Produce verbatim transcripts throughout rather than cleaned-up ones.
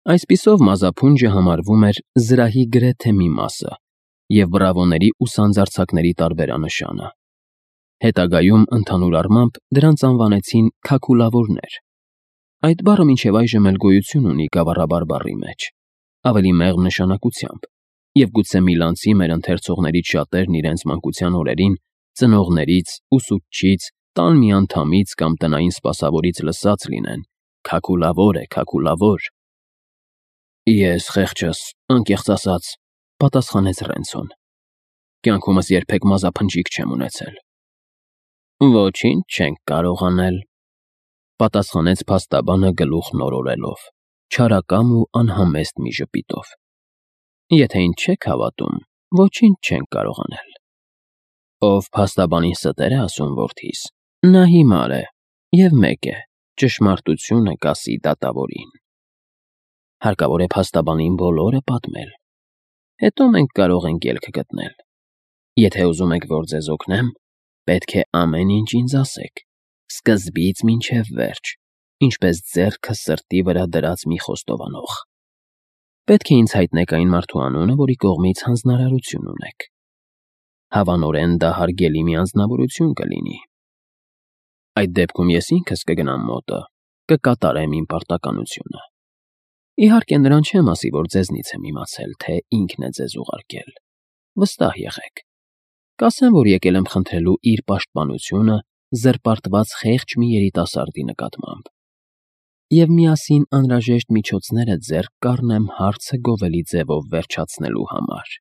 Այսպիսով մազափունջը համարվում էր զրահի գրեթե մի մասը և բրավոների ու սանձարձակների տարբերանշանը։ Հետագայում, ընդհանուր առմամբ, դրանց անվանեցին քաքուլավորներ։ Այդ բառը մինչև այժմ էլ գոյություն ունի գավառաբար բառի մեջ, ավելի մեղմ նշանակությամբ, և գուցե միլանցի մեր ընթերցողներից շատերն իրենց մանկության օրերին ծնողներից, ուսուցչից, տան մի անդամից կամ տնային սպասավորից լսած լինեն. «Քաքուլավոր է, քաքուլավոր»։ «Ես, խեղճս, անկեղծ ասած,֊ պատասխանեց Ռենցոն,֊ կյանքումս երբեք մազափնջիկ չեմ ունեցել»։ «Ոչինչ չենք կարող անել,֊ պատասխանեց փաստաբանը գլուխն օրորելով, չարակամ ու անհամեստ մի ժպիտով,֊ եթե ինձ չեք հավատում, ոչինչ չենք կարող անել։ Ով փաստաբանին ստեր է ասում որդիս, նա հիմար է և մեկ է. ճշմարտությունը կասի դատավորին։ Հարկավոր է փաստաբանին բոլորը պատմել, հետո մենք կարող ենք ելք գտնել։ Եթե ուզում եք, որ ձեզ օգնեմ, պետք է ամեն ինչ ինձ ասեք, սկզբից մինչև վերջ, ինչպես ձեռքը սրտի վրա դրած մի խոստովանող։ Պետք է ինձ հայտնեք այն մարդու անունը, որի կողմից հանձնարարություն ունեք։ Հավանորեն դա հարգելի մի անձնավորություն կլինի։ Այդ դեպքում ես ինքս կգնամ մոտը, կկատարեմ իմ պարտականությունը։ Իհարկե, նրան չեմ ասի, որ ձեզնից եմ իմացել, թե ինքն է ձեզ ուղարկել։ Վստահ եղեք։ Կասեմ, որ եկել եմ խնդրելու իր պաշտպանությունը զրպարտված խեղճ մի երիտասարդի նկատմամբ և միասին անհրաժեշտ միջոցները ձեռք կառնեմ հարցը գովելի ձևով վերջացնելու համար։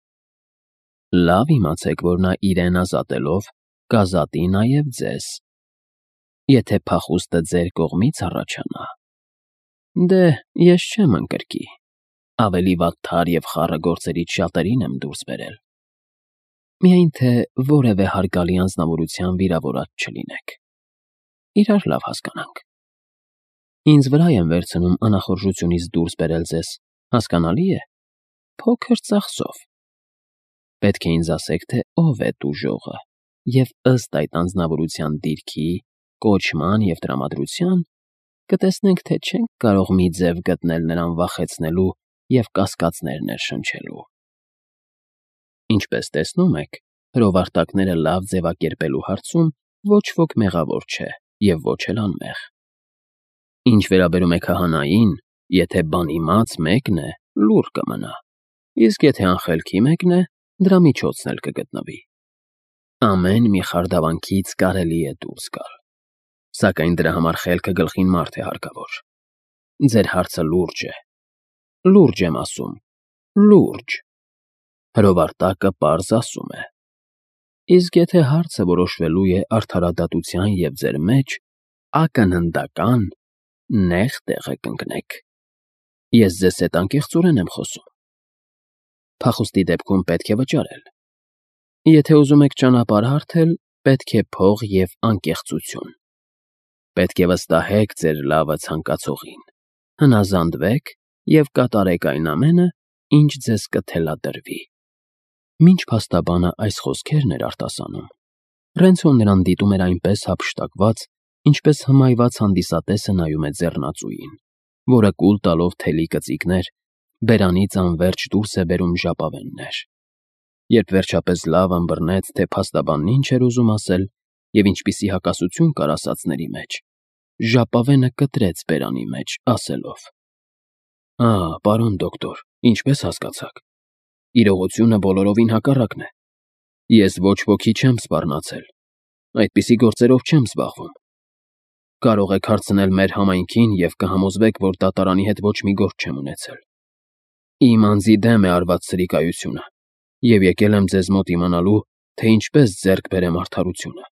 Լավ իմացեք, որ նա իրեն ազատելով կազատի նաև ձեզ։ Եթե փախուստը ձեր կողմից առաջանա, դե, ես չեմ ընկրկի, ավելի վատթար և խառը գործերից շատերին եմ դուրս բերել։ Միայն թե որևէ հարգալի անձնավորության վիրավորած չլինեք։ Իրար լավ հասկանանք։ Ինձ վրա եմ վերցնում անախորժությունից դուրս բերել ձեզ, հասկանալի է, փոքր ծախսով։ Պետք է ինձ ասեք, թե ով է տուժողը, և ըստ այդ անձնավորության դիրքի, կոչման և տրամադրության կտեսնենք, թե չենք կարող մի ձև գտնել նրան վախեցնելու և կասկածներ ներշնչելու։ Ինչպես տեսնում եք, հրովարտակները լավ ձևակերպելու հարցում ոչ ոք մեղավոր չէ և ոչ էլ անմեղ։ Ինչ վերաբերում է քահանային, եթե բանիմաց մեկն է, լուռ կմնա, իսկ եթե անխելքի մեկն է, դրա միջոցն էլ կգտնվի։ Ամեն մի խարդավանքից կարելի է դուրս գալ, սակայն դրա համար խելքը գլխին մարդ է հարկավոր։ Ձեր հարցը լուրջ է։ Լուրջ եմ ասում, լուրջ։ Հրովարտակը պարզ ասում է։ Իսկ եթե հարցը որոշվելու է արդարադատության և ձեր մեջ, ակնհնդական, նեղ տեղը կընկնեք։ Ես ձեզ հետ անկեղծորեն եմ խոսում։ Փախուստի դեպքում պետք է վճարել։ Եթե ուզում եք ճանապարհ հարթել, պետք է փող և անկեղծություն։ Պետք է վստահեք ձեր լավը ցանկացողին, հնազանդվեք և կատարեք այն ամենը, ինչ ձեզ կթելադրվի։ Մինչ փաստաբանը այս խոսքերն էր արտասանում, Ռենցոն նրան դիտում էր այնպես հափշտակված, ինչպես հմայված հանդիսատեսը նայում է ձեռնածուին, որը կուլ տալով թելի կծիկներ, բերանից անվերջ դուրս է բերում ժապավեններ։ Երբ վերջապես լավ ըմբռնեց, թե փաստաբանն ինչ էր ուզում ասել և ինչպիսի հակասություն կար ասածների մեջ, ժապավենը կտրեց բերանի մեջ, ասելով. «Ա, պարոն դոկտոր, ինչպես հասկացաք։ Իրողությունը բոլորովին հակառակն է։ Ես ոչ ոքի չեմ սպառնացել, այդպիսի գործերով չեմ զբաղվում։ Կարող եք հարցնել մեր համայնքին և կհամոզվեք, որ դատարանի հետ ոչ մի գործ չեմ ունեցել։ Իմ անձի դեմ է արված սրիկայությունը, և եկել եմ ձեզ մոտ իմանալու, թե ինչպես ձեռք բերեմ արդարությունը։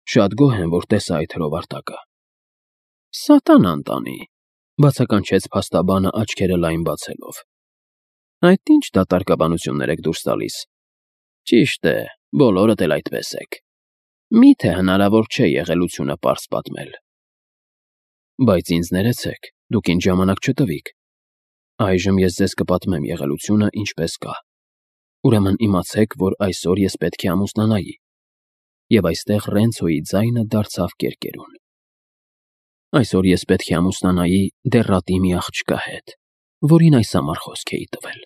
Շատ գոհ եմ, որ տեսա այդ հրովարտակը»։ «Սատանան տանի,֊ բացականչեց փաստաբանը աչքերը լայն բացելով,֊ այդ ի՞նչ դատարկաբանություններ եք դուրս տալիս։ Ճիշտ է, բոլորդ էլ այդպես եք։ Մի՞թե հնարավոր չէ եղելությունը պարզ պատմել։ Բայց ինձ ներեցեք, դուք ինձ ժամանակ չտվիք։ Այժմ ես ձեզ կպատմեմ եղելությունը ինչպես կա։ Ուրեմն իմացեք, որ այսօր ես պետք է ամուսնանայի։ Եվ այստեղ Ռենցոյի ձայնը դարձավ կերկերուն։ Այսօր ես պետք է ամուսնանայի դեռատի մի աղջկա հետ, որին այս համար խոսք էի տվել։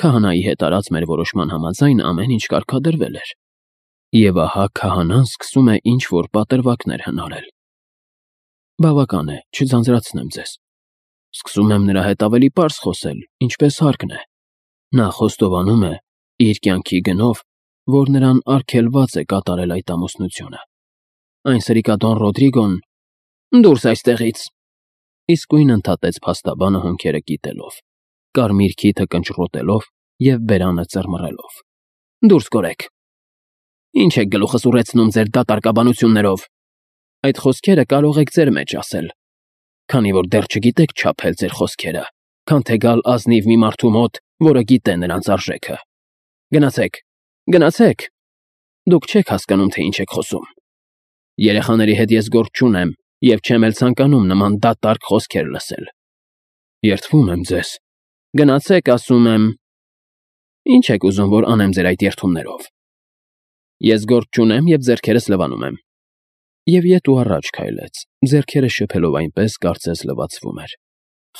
Քահանայի հետ արած մեր որոշման համաձայն ամեն ինչ կարգադրվել էր, եւ ահա քահանան սկսում է ինչ-որ պատրվակներ հնարել։ Բավական է, չձանձրացնեմ ձեզ։ Սկսում եմ նրա հետ ավելի պարզ խոսել, ինչպես հարկն է։ Նա խոստովանում է իր կյանքի գնով, որ նրան արգելված է կատարել այդ ամուսնությունը։ Այն սրիկադոն Ռոդրիգոն… Դուրս այստեղից… Իսկույն ընդհատեց փաստաբանը հոնքերը կիտելով, կարմիր քիթը կնճռոտելով և բերանը ծռմռելով։ Դուրս կորեք… Ինչ եք գլուխս ուռեցնում ձեր դատարկաբանություններով։ Այդ խոսքերը կարող եք ձեր մեջ ասել, քանի որ դեռ չգիտեք չափել ձեր խոսքերը, քան թե գալ ազնիվ մի մարդու մոտ, որը գիտե նրանց արժեքը։ Գնացեք, գնացեք… Դուք չեք հասկանում, թե ինչ եք խոսում։ Երեխաների հետ ես գործ չունեմ և չեմ էլ ցանկանում նման դատարկ խոսքեր լսել։ Երդվում եմ ձեզ։ Գնացեք, ասում եմ… Ինչ եք ուզում, որ անեմ ձեր այդ երդումներով։ Ես գործ չունեմ և ձեռքերս լվանում եմ։ Եվ ետ ու առաջ քայլեց, ձեռքերը շփելով այնպես, կարծես լվացվում էր։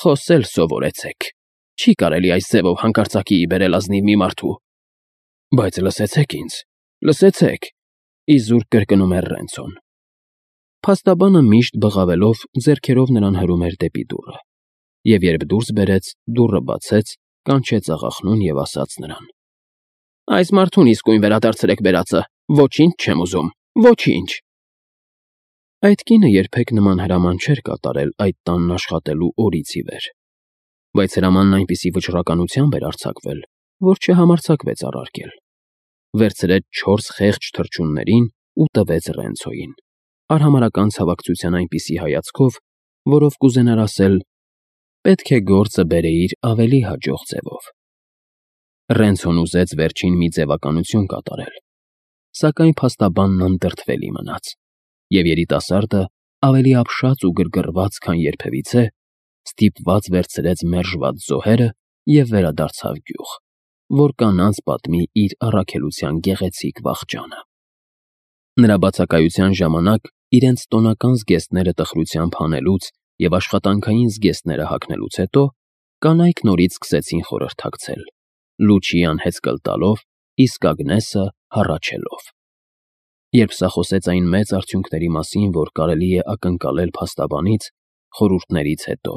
Խոսել սովորեցեք։ Չի կարելի այս ձևով հանկարծակիի բերել ազնիվ մի մարդու։ Բայց լսեցեք ինձ, լսեցեք… Իզուր կրկնում էր Ռենցոն։ Փաստաբանը միշտ բղավելով ձեռքերով նրան հրում էր դեպի դուռը, և երբ դուրս բերեց, դուռը բացեց, կանչեց աղախնուն և ասաց նրան. Այս մարդուն իսկույն վերադարձրեք բերածը, ոչինչ չեմ ուզում, ոչինչ… Այդ կինը երբեք նման հրաման չէր կատարել այդ տանն աշխատելու օրից ի վեր, բայց հրամանն այնպիսի վճռականությամբ էր արձակվել, որ չհամարձակվեց առարկել։ Վերցրեց չորս խեղճ թռչուններին ու տվեց Ռենցոյին, արհամարհական ցավակցության այնպիսի հայացքով, որով կուզենար ասել. պետք է գործը բերեիր ավելի հաջող ձևով։ Ռենցոն ուզեց վերջին մի ձևականություն կատարել, սակայն փաստաբանն անդրդվելի մնաց, և երիտասարդը, ավելի ապշած ու գրգռված, քան երբևիցե, ստիպված վերցրեց մերժված զոհերը և վերադարձավ գյուղ, որ կանանց պատմի իր առաքելության գեղեցիկ վախճանը։ Նրա բացակայության ժամանակ իրենց տոնական զգեստները տխրությամբ հանելուց և աշխատանքային զգեստները հագնելուց հետո կանայք նորից սկսեցին խորհրդակցել, Լուչիան հեծկլ տալով, իսկ Ագնեսը հառաչելով։ Երբ սա խոսեց այն մեծ արդյունքների մասին, որ կարելի է ակնկալել փաստաբանից, խորհուրդներից հետո,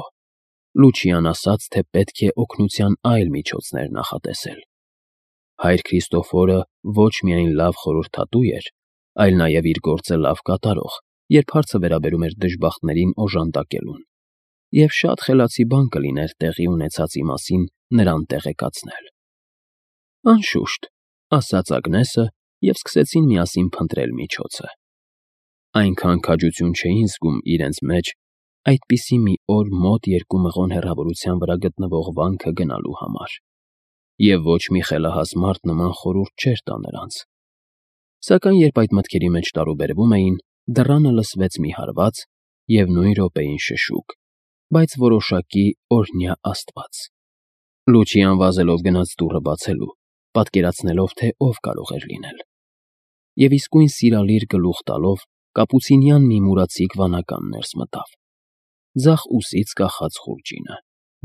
Լուչիան ասաց, թե պետք է օգնության այլ միջոցներ նախատեսել։ Հայր Քրիստոֆորը ոչ միայն լավ խորհրդատու էր, այլ նաև իր գործը լավ կատարող, երբ հարցը վերաբերում էր դժբախտներին օժանդակելուն, և շատ խելացի բան կլիներ տեղի ունեցածի մասին նրան տեղեկացնել։ Անշուշտ, ասաց Ագնեսը, և սկսեցին միասին փնտրել միջոցը։ Այնքան քաջություն չէին զգում իրենց մեջ այդպիսի մի օր մոտ երկու մղոն հեռավորության վրա գտնվող վանքը գնալու համար, և ոչ մի խելահաս մարդ նման խորհուրդ չէր տա նրանց։ Սակայն երբ այդ մտքերի մեջ տարուբերվում էին, դռանը լսվեց մի հարված և նույն րոպեին շշուկ, բայց որոշակի օրհնյա աստված։ Լուչիան վազելով գնաց դուռը բացելու, պատկերացնելով, թե ով կարող էր լինել։ Եվ իսկույն սիրալիր գլուխ տալով, կապուցինյան մի մուրացիկ վանական ներս մտավ, ձախ ուսից կախած խուրջինը,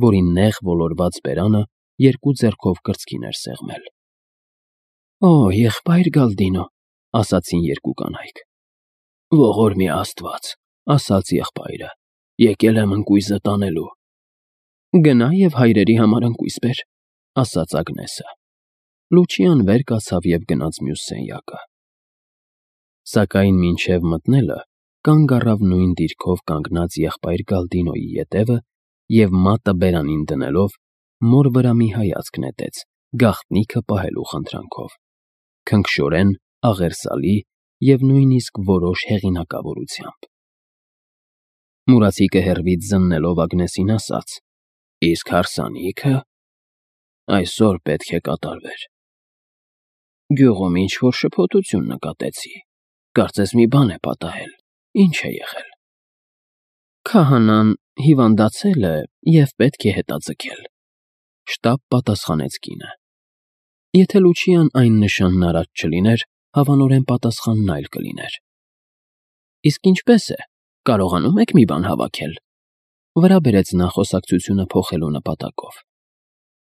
որի նեղ ոլորված բերանը երկու ձեռքով կրծքին էր սեղմել։ Օ, եղբայր Գալդինո, ասացին երկու կանայք։ Ողորմյա Աստված, ասաց եղբայրը, եկել եմ ընկույզը տանելու։ Գնա և հայրերի համար ընկույզ բեր, ասաց Ագնեսը։ Լուչիան վեր կացավ և գնաց մյուս սենյակը։ Սակայն մինչև մտնելը կանգ առավ նույն դիրքով կանգնած եղբայր Գալդինոյի ետևը և մատը բերանին դնելով մոր վրա մի հայացք նետեց, գաղտնիքը պահելու խնդրանքով, քնքշորեն, աղերսալի և նույնիսկ որոշ հեղինակավորությամբ։ Մուրացիկը հեռվից զննելով Ագնեսին ասաց. Իսկ հարսանիքը… այսօր պետք է կատարվեր։ Գյուղում ինչ-որ շփոթություն նկատեցի, կարծես մի բան է պատահել, ինչ է եղել։ Քահանան հիվանդացել է և պետք է հետաձգել, շտապ պատասխանեց կինը։ Եթե Լուչիան այն նշանն արած չլիներ, հավանորեն պատասխանն այլ կլիներ։ Իսկ ինչպե՞ս է, կարողանում եք մի բան հավաքել։ վրա բերեց նա խոսակցությունը փոխելու նպատակով։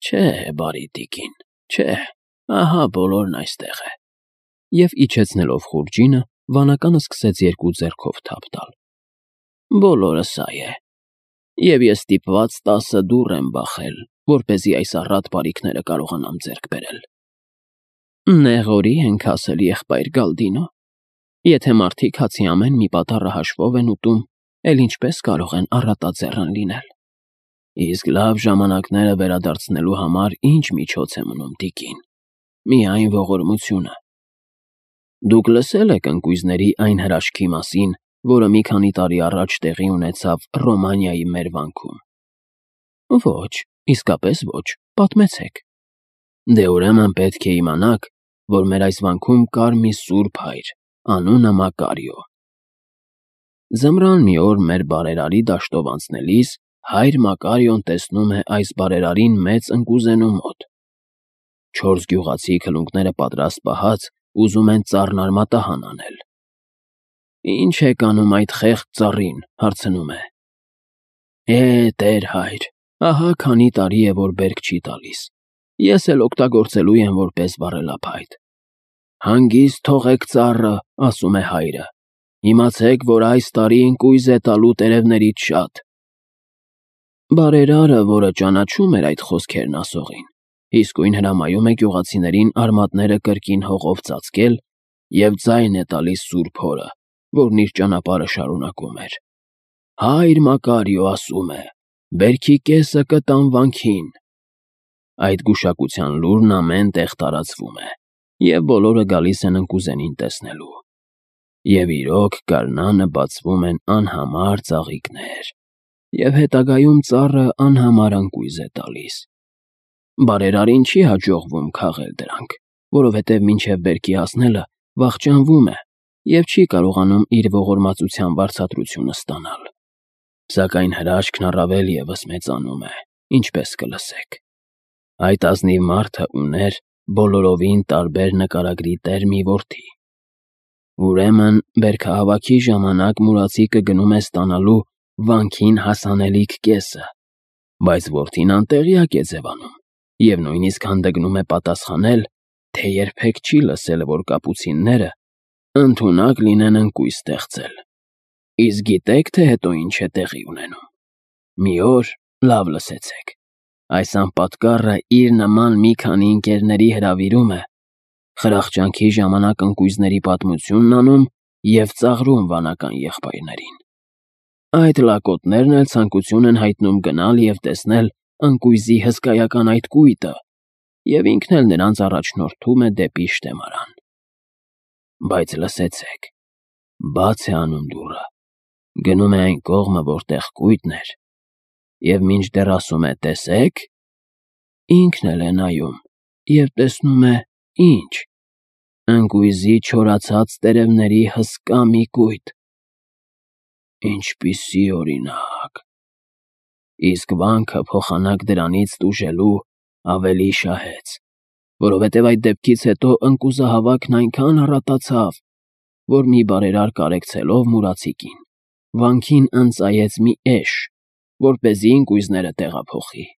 Չէ, բարի տիկին, չէ, ահա բոլորն այստեղ է։ Եվ իջեցնելով խուրջինը, վանականը սկսեց երկու ձեռքով թափ տալ։ Բոլորը սա է։ Եվ ես ստիպված տասը դուռ եմ բախել, որպեսզի այս առատ բարիքները կարողանամ ձեռք բերել։ Նեղորի ենք ասել, եղբայր Գալդինո։ Եթե մարդիկ հացի ամեն մի պատառը հաշվով են ուտում, էլ ինչպես կարող են առատաձեռն լինել։ Իսկ լավ ժամանակները վերադարձնելու համար ինչ միջոց է մնում, տիկին։ Միայն ողորմությունը։ Դուք լսել եք ընկույզների այն հրաշքի մասին, որը մի քանի տարի առաջ տեղի ունեցավ Ռոմանիայի մեր վանքում։ Ոչ, իսկապես ոչ, պատմեցեք։ Դե ուրեմն պետք է իմանաք, որ մեր այս վանքում կար մի սուրբ հայր, անունը Մակարիո։ Ձմռան մի օր մեր բարերարի դաշտով անցնելիս հայր Մակարիոն տեսնում է այս բարերարին մեծ ընկուզենու մոտ։ Չորս գյուղացի քլունքները պատրաստ պահած ուզում են ծառն արմատահան անել։ Ինչ եք անում այդ խեղճ ծառին, հարցնում է։ Է, տեր հայր, ահա քանի տարի է, որ բերք չի տալիս։ Ես էլ օգտագործելու եմ որպես վառելափայտ։ Հանգիստ թողեք ծառը, ասում է հայրը։ Իմացեք, որ այս տարի ընկույզ է տալու տերևներից շատ։ Բարերարը, որը ճանաչում էր այդ խոսքերն ասողին, իսկույն հրամայում է գյուղացիներին արմատները կրկին հողով ծածկել և ձայն է տալիս սուրբ հորը, որն իր ճանապարհը շարունակում էր։ Հայր Մակարիո ասում է. «Բերքի կեսը կտամ վանքին»։ Այդ գուշակության լուրն ամեն տեղ տարածվում է, և բոլորը գալիս են ընկուզենին տեսնելու։ Եվ իրոք գարնանը բացվում են անհամար ծաղիկներ, և հետագայում ծառը անհամար ընկույզ է տալիս։ Բարերարին չի հաջողվում քաղել դրանք, որովհետև մինչև բերքի հասնելը վախճանվում է և չի կարողանում իր ողորմածության վարձատրությունը ստանալ։ Սակայն հրաշքն առավել ևս մեծանում է, ինչպես կլսեք։ Այդ ազնիվ մարդը ուներ բոլորովին տարբեր նկարագրի տեր մի որդի։ Ուրեմն բերքահավաքի ժամանակ մուրացիկը գնում է ստանալու վանքին հասանելիք կեսը, բայց որդին անտեղյակ է ձևանում և նույնիսկ հանդգնում է պատասխանել, թե երբեք չի լսել, որ կապուցինները ընդունակ լինեն ընկույզ ստեղծել։ Իսկ գիտեք, թե հետո ինչ է տեղի ունենում։ Մի օր, լավ լսեցեք, այս անպատկառը իր նման մի քանի ընկերների հրավիրում է, խրախճանքի ժամանակ ընկույզների պատմությունն անում և ծաղրում վանական եղբայրներին։ Այդ լակոտներն էլ ցանկություն են հայտնում գնալ և տեսնել ընկույզի հսկայական այդ կույտը, և ինքն էլ նրանց առաջնորդում է դեպի շտեմարան։ Բայց լսեցեք, բաց է անում դուռը, գնում է այն կողմը, որտեղ կույտն էր, և մինչդեռ ասում է «տեսեք», ինքն էլ է նայում և տեսնում է ի՞նչ. ընկույզի չորացած տերևների հսկա մի կույտ։ Ինչպիսի օրինակ։ Իսկ վանքը փոխանակ դրանից տուժելու ավելի շահեց, որովհետև այդ դեպքից հետո ընկուզահավաքն այնքան առատացավ, որ մի բարերար կարեկցելով մուրացիկին, վանքին ընծայեց մի էշ, որպեսզի ընկույզները տեղափոխի։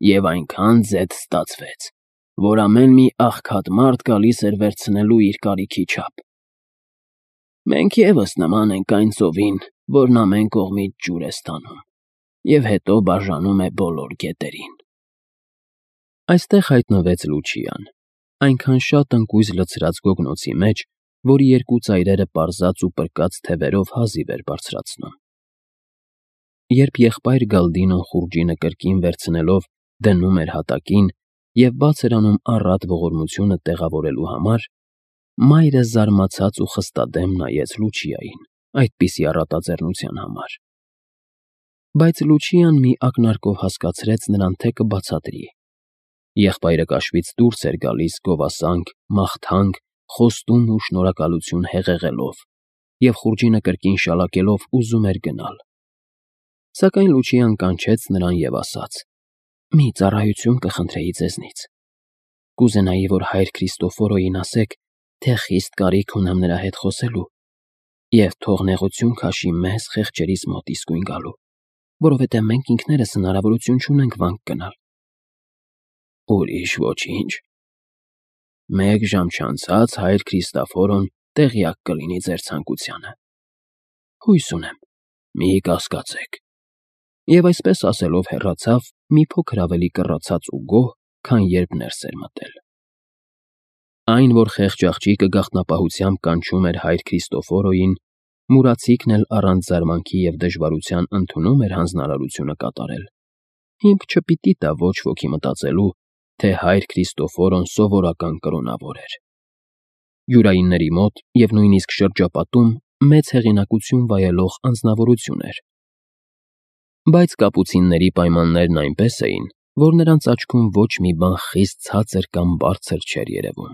Եվ այնքան ձեթ ստացվեց, որ ամեն մի աղքատ մարդ գալիս էր վերցնելու իր կարիքի չափ։ Մենք ևս նման ենք այն ծովին, որն ամեն կողմից ջուր է ստանում, և հետո բաժանում է բոլոր գետերին։ Այստեղ հայտնվեց Լուչիան, այնքան շատ ընկույզ լցրած գոգնոցի մեջ, որի երկու ծայրերը պարզած ու պրկած թևերով հազիվ էր բարձրացնում։ Երբ եղբայր Գալդինոն խուրջինը կրկին վերցնելով դնում էր հատակին և բաց էր անում առատ ողորմությունը տեղավորելու համար, մայրը զարմացած ու խստադեմ նայեց Լուչիային այդպիսի առատաձեռնության համար։ Բայց Լուչիան մի ակնարկով հասկացրեց նրան, թե կբացատրի։ Եղբայրը կաշվից դուրս էր գալիս գովասանք, մաղթանք, խոստում ու շնորհակալություն հեղեղելով և խուրջինը կրկին շալակելով ուզում էր գնալ։ Սակայն Լուչիան կանչեց նրան և ասաց. «Մի ծառայություն կխնդրեի ձեզնից։ Կուզենայի, որ հայր Քրիստոֆորոյին ասեք, թե խիստ կարիք ունեմ նրա հետ խոսելու, և թող նեղություն քաշի մեզ խեղճերիս մոտ իսկույն գալու»։ որովհետև մենք ինքներս հնարավորություն չունենք վանք գնալ։ Ուրիշ ոչինչ։ Մեկ ժամ չանցած հայր Քրիստոֆորոն տեղյակ կլինի ձեր ցանկությանը։ Հույս ունեմ, մի կասկածեք։ Եվ այսպես ասելով հեռացավ մի փոքր ավելի կռացած ու գոհ, քան երբ ներս էր մտել։ Այն, որ խեղճ աղջիկը գաղտնապահությամբ կանչում էր հայր Քրիստոֆորոյին, մուրացիկն էլ առանց զարմանքի և դժվարության ընդունում էր հանձնարարությունը կատարել, հիմք չպիտի տա ոչ ոքի մտածելու, թե հայր Քրիստոֆորոն սովորական կրոնավոր էր։ Յուրայինների մոտ և նույնիսկ շրջապատում մեծ հեղինակություն վայելող անձնավորություն էր։ Բայց կապուցինների պայմաններն այնպես էին, որ նրանց աչքում ոչ մի բան խիստ ցածր կամ բարձր չէր երևում։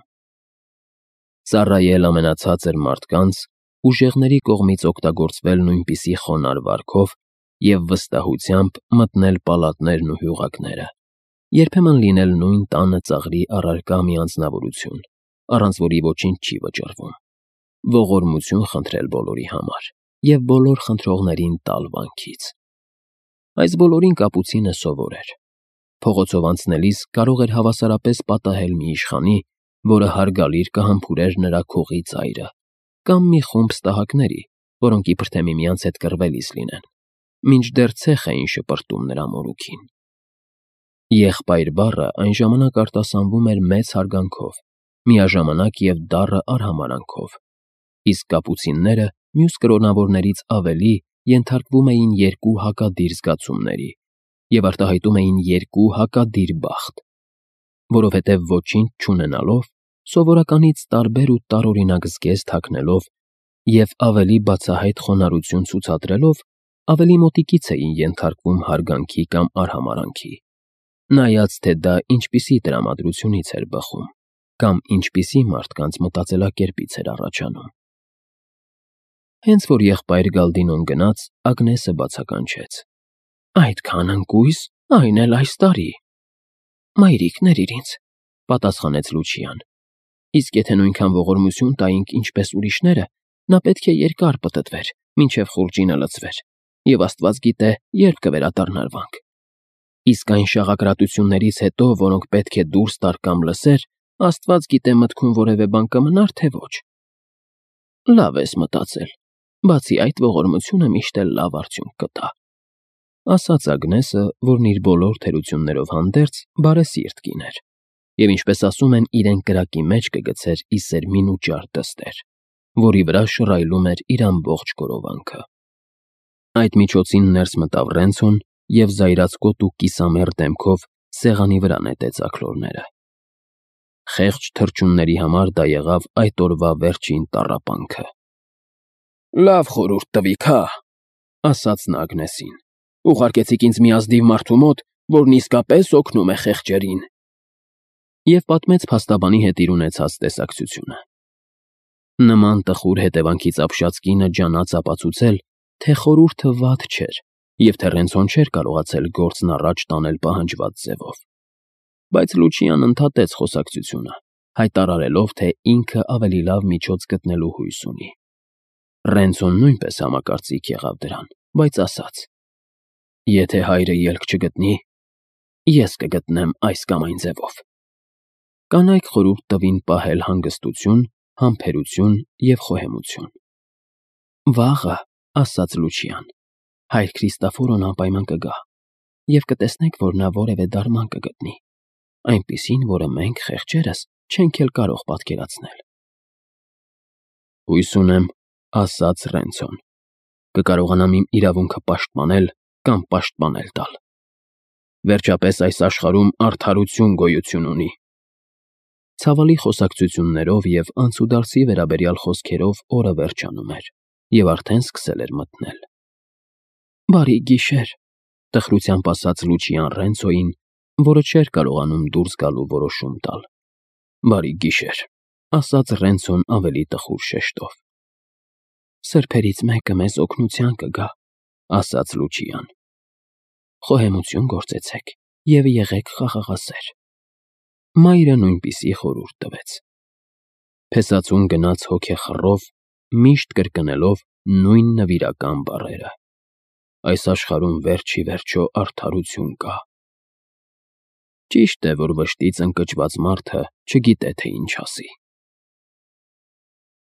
Ծառայել ամենացածր մարդկանց, ուժեղների կողմից օգտագործվել նույնպիսի խոնարհ վարքով և վստահությամբ մտնել պալատներն ու հյուղակները, երբեմն լինել նույն տանը ծաղրի առարկա մի անձնավորություն, առանց որի ոչինչ չի վճռվում, ողորմություն խնդրել բոլորի համար և բոլոր խնդրողներին տալ վանքից։ Այս բոլորին կապուցինը սովոր էր։ Փողոցով անցնելիս կարող էր հավասարապես պատահել մի իշխանի, որը հարգալիր կհամբուրեր նրա քողի ծայրը, կամ մի խումբ ստահակների, որոնք իբր թե միմյանց հետ կռվելիս լինեն, մինչդեռ ցեխ էին շպրտում նրա մորուքին։ Եղբայր բառը այն ժամանակ արտասանվում էր մեծ հարգանքով, միաժամանակ և դառը արհամարհանքով, իսկ կապուցինները մյուս կրոնավորներից ավելի ենթարկվում էին երկու հակադիր զգացումների և արտահայտում էին երկու հակադիր բախտ, որովհետև ոչինչ չունենալով, սովորականից տարբեր ու տարօրինակ զգեստ հագնելով և ավելի բացահայտ խոնարհություն ցուցադրելով, ավելի մոտիկից էին ենթարկվում հարգանքի կամ արհամարհանքի, նայած թե դա ինչպիսի տրամադրությունից էր բխում կամ ինչպիսի մարդկանց մտածելակերպից էր առաջանում։ Հենց որ եղբայր Գալդինոն գնաց, Ագնեսը բացականչեց. «Այդքան ընկույզ, այն էլ այս տարի»։ «Մայրիկ, ներիր ինձ», պատասխանեց Լուչիան։ «Իսկ եթե նույնքան ողորմություն տայինք, ինչպես ուրիշները, նա պետք է երկար պտտվեր, մինչև խուրջինը լցվեր, և աստված գիտե, երբ կվերադառնար վանք։ Իսկ այն շաղակրատություններից հետո, որոնք պետք է դուրս տար կամ լսեր, աստված գիտե մտքում որևէ բան կմնար, թե ոչ»։ «Լավ ես մտածել, բացի այդ ողորմությունը միշտ էլ լավ արդյունք կտա», ասաց Ագնեսը, որն իր բոլոր թերություններով հանդերձ բարեսիրտ կին էր, և ինչպես ասում են, իրեն կրակի մեջ կգցեր ի սերմին ու ճար դստեր, որի վրա շռայլում էր իր ամբողջ գորովանքը։ Այդ միջոցին ներս մտավ Ռենցոն և զայրացկոտ ու կիսամեռ դեմքով սեղանի վրա նետեց աքլորները։ Խեղճ թռչունների համար դա եղավ այդ օրվա վերջին տառապանքը։ «Լավ խորհուրդ տվիք, հա», ասաց նա Ագնեսին։ «Ուղարկեցիք ինձ մի ազնիվ մարդու մոտ, որն իսկապես օգնում է խեղճերին»։ Եվ պատմեց փաստաբանի հետ իր ունեցած տեսակցությունը։ Նման տխուր հետևանքից ապշած կինը ջանաց ապացուցել, թե խորհուրդը վատ չէր, և թե Ռենցոն չէր կարողացել գործն առաջ տանել պահանջված ձևով։ Բայց Լուչիան ընդհատեց խոսակցությունը, հայտարարելով, թե ինքը ավելի լավ միջոց գտնելու հույս ունի։ Ռենցոն նույնպես համակարծիք եղավ դրան, բայց ասաց. «Եթե հայրը ելք չգտնի, ես կգտնեմ այս կամ այն ձևով»։ Կանայք խորհուրդ տվին պահել հանգստություն, համբերություն և խոհեմություն։ «Վաղը», ասաց Լուչիան, «հայր Քրիստոֆորոն անպայման կգա, և կտեսնեք, որ նա որևէ դարման կգտնի, այնպիսին, որը մենք, խեղճերս, չենք էլ կարող պատկերացնել»։ «Հույս ունեմ», ասաց Ռենցոն, «կկարողանամ իմ իրավունքը պաշտպանել կամ պաշտպանել տալ։ Վերջապես այս աշխարհում արդարություն գոյություն ունի»։ Ցավալի խոսակցություններով և անցուդարձի վերաբերյալ խոսքերով օրը վերջանում էր, և արդեն սկսել էր մթնել։ «Բարի գիշեր», տխրությամբ ասաց Լուչիան Ռենցոյին, որը չէր կարողանում դուրս գալ ու որոշում տալ։ «Բարի գիշեր», ասաց Ռենցոն ավելի տխուր շեշտով։ «Սրբերից մեկը մեզ օգնության կգա», ասաց Լուչիան։ «Խոհեմություն գործեցեք և եղեք խաղաղասեր»։ Մայրը նույնպիսի խորհուրդ տվեց։ Փեսացուն գնաց հոգեխռով, միշտ կրկնելով նույն նվիրական բառերը։ այս աշխարհում վերջ ի վերջո արդարություն կա։ Ճիշտ է, որ վշտից ընկճված մարդը չգիտե, թե ինչ ասի։